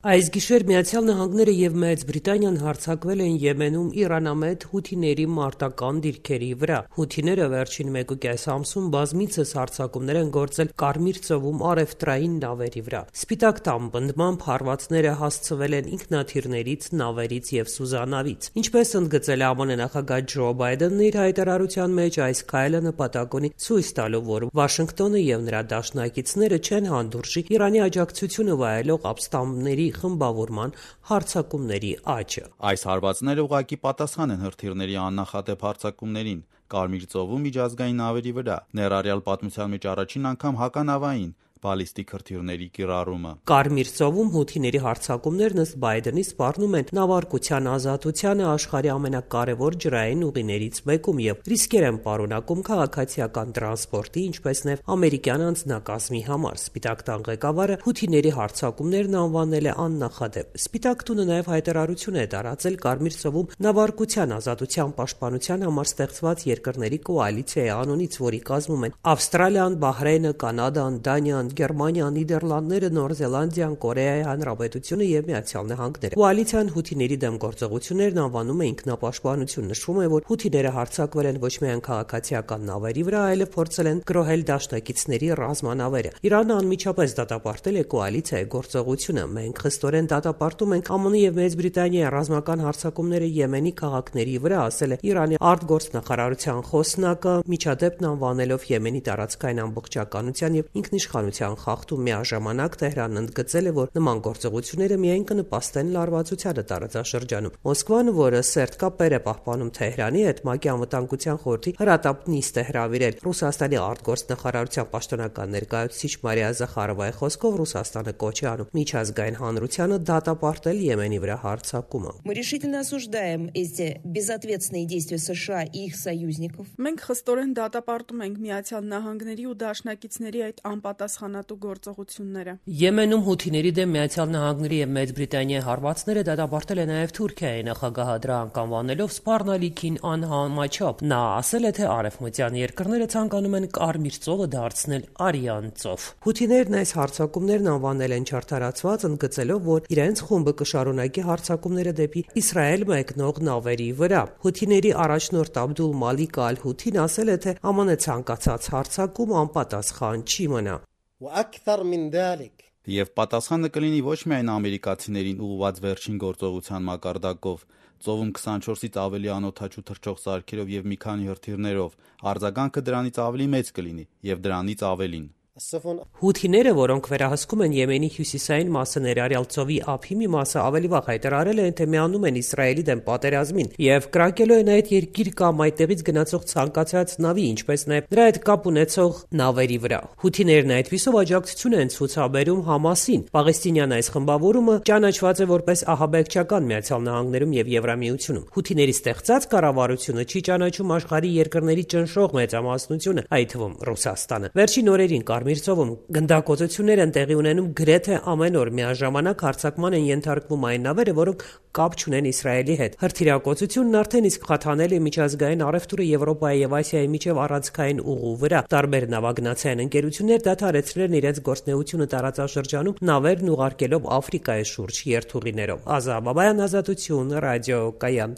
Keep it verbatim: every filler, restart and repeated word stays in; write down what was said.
Այս գիշեր Միացյալ Նահանգները եւ Մեծ Բրիտանիան հարձակվել են Եմենում իրանամետ հութիների մարտական դիրքերի վրա։ Հութիները վերջին մեկուկես ամսում բազմիցս հարձակումներ են գործել Կարմիր ծովում առևտրային նավերի վրա։ Սպիտակ տան պնդմամբ հարվածները հասցվել են ինքնաթիռներից, նավերից եւ սուզանավից։ Ինչպես ընդգծել է ԱՄՆ նախագահ Ջո Բայդենն իր հայտարարության մեջ, այս քայլը նպատակ ունի ցույց տալու, որ Վաշինգտոնը եւ նրա դաշնակիցները չեն հանդուրժի Իրանի աջակցությունը վայելող ապստամբների խմբավորման հարձակումների աճը։ Այս հարվածները ուղղակի պատասխան են հրթիռների աննախադեպ հարձակումներին Կարմիր ծովում միջազգային նավերի վրա, ներառյալ պատմության մեջ առաջին անգամ հականավային բալիստիկ հրթիռների կիրառումը։ Կարմիր ծովում հութիների հարձակումներն ըստ Բայդենի սպառնում են նավարկության ազատությանը աշխարհի ամենակարևոր ջրային ուղիներից մեկում եւ ռիսկեր են պարունակում քաղաքացիական տրանսպորտի, ինչպես նաեւ ամերիկյան անձնակազմի համար։ Սպիտակ տան ղեկավարը հութիների հարձակումներն անվանել է աննախադեպ։ Սպիտակ տունը նաեւ հայտարարություն է տարածել Կարմիր ծովում նավարկության ազատության պաշտպանության համար ստեղծված երկրների կոալիցիայի անունից, որի կազմում են Ավստրալիան, Բահրեյնը, Կանադան, Դանիան, Գերմանիան, Նիդերլանդները, Նոր Զելանդիան, Կորեայի Հանրապետությունը եւ Միացյալ Նահանգները։ Կոալիցիան հութիների դեմ գործողություններն անվանում է ինքնապաշտպանություն։ Նշվում է, որ հութիները հարձակվել են ոչ միայն քաղաքացիական նավերի վրա, այլև փորձել են գրոհել դաշնակիցների ռազմանավերը։ Իրանը անմիջապես դատապարտել է կոալիցիայի գործողությունը։ Մենք խստորեն դատապարտում ենք ԱՄՆ եւ Մեծ Բրիտանիայի ռազմական հարձակումները Եմենի քաղաքների վրա, ասել է Իրանի արտգործնախարարության խոսնակը, միջադեպն անվանելով Եմենի տարածքային ամբողջականության եւ ինքնիշխանության խախտում։ Միաժամանակ Թեհրանն ընդգծել է, որ նման գործողությունները միայն կնպաստեն լարվածությանը տարածաշրջանում։ Մոսկվան, որը սերտ կապեր է պահպանում Թեհրանի հետ, ՄԱԿ-ի անվտանգության խորհրդի հրատապ նիստ է հրավիրել։ Ռուսաստանի արտգործնախարարության պաշտոնական ներկայացուցիչ Մարիա Զախարովայի խոսքով Ռուսաստանը կոչ է անում միջազգային հանրությանը դատապարտել Եմենի վրա հարձակումը։ Մենք խստորեն դատապարտում ենք Միացյալ Նահանգների ու դաշնակիցների այդ անպատասխանատու գործողությունները։ Եմենում հութիների դեմ Միացյալ Նահանգների եւ Մեծ Բրիտանիայի հարվածները դատապարտել է նաեւ Թուրքիայի նախագահը, դրա անկանվանելով սպառնալիքին անհամաչափ։ Նա ասել է, թե արևմտյան երկրները ցանկանում են Կարմիր ծովը դարձնել Արյան ծով։ Հութիներն այս հարձակումներն անվանել են չարթարացված, ընդգծելով, որ իրենց խումբը կշարունակի հարձակումները դեպի Իսրայել մեկնող նավերի վրա։ Հութիների առաջնորդ Աբդուլ Մալիկ Ալ-Հութին ասել է, թե ԱՄՆ ցանկացած հարձակում անպատասխան չի մնա։ Եվ պատասխանը կլինի ոչ միայն ամերիկացիներին ուղղված վերջին գործողության մակարդակով, ծովում քսանչորսից ավելի անօդաչու թռչող սարքերով եւ մի քանի հրթիռներով, արձագանքը դրանից ավելի մեծ կլինի եւ դրանից ավելին։ Հութիները, որոնք վերահսկում են Եմենի հյուսիսային մասը, ներառյալ ծովի ափի մի մասը, ավելի վաղ հայտարարել են, թե միանում են Իսրայելի դեմ պատերազմին եւ կրակելու են այդ երկիր կամ այդտեղից գնացող ցանկացած նավի, ինչպես նաեւ նրա հետ կապ ունեցող նավերի վրա։ Հութիներն այդպիսով աջակցություն են ցուցաբերում Համասին։ Պաղեստինյան այս խմբավորումը ճանաչված է որպես ահաբեկչական Միացյալ Նահանգներում եւ Եվրամիությունում։ Հութիների ստեղծած կառավարությունը չի ճանաչում աշխարհի երկրների ճնշող մեծամասնությունը, այդ թվում Ռուսաստանը։ Վերջին օրերին Կարմիր ծովում գնդակոծություններ են տեղի ունենում գրեթե ամեն օր։ Միաժամանակ հարձակման են ենթարկվում այն նավերը, որոնք կապ չունեն Իսրայելի հետ։ Հրթիռակոծությունն արդեն իսկ խաթանել է միջազգային առևտուրը Եվրոպայի եւ Ասիայի միջև առանցքային ուղու վրա։ Տարբեր նավագնացային ընկերություններ դադարեցրել են իրենց գործունեությունը տարածաշրջանում, նավերն ուղարկելով Աֆրիկայի շուրջ երթուղիներով։ Ազա Բաբայան, Ազատություն, ռադիո Կայան։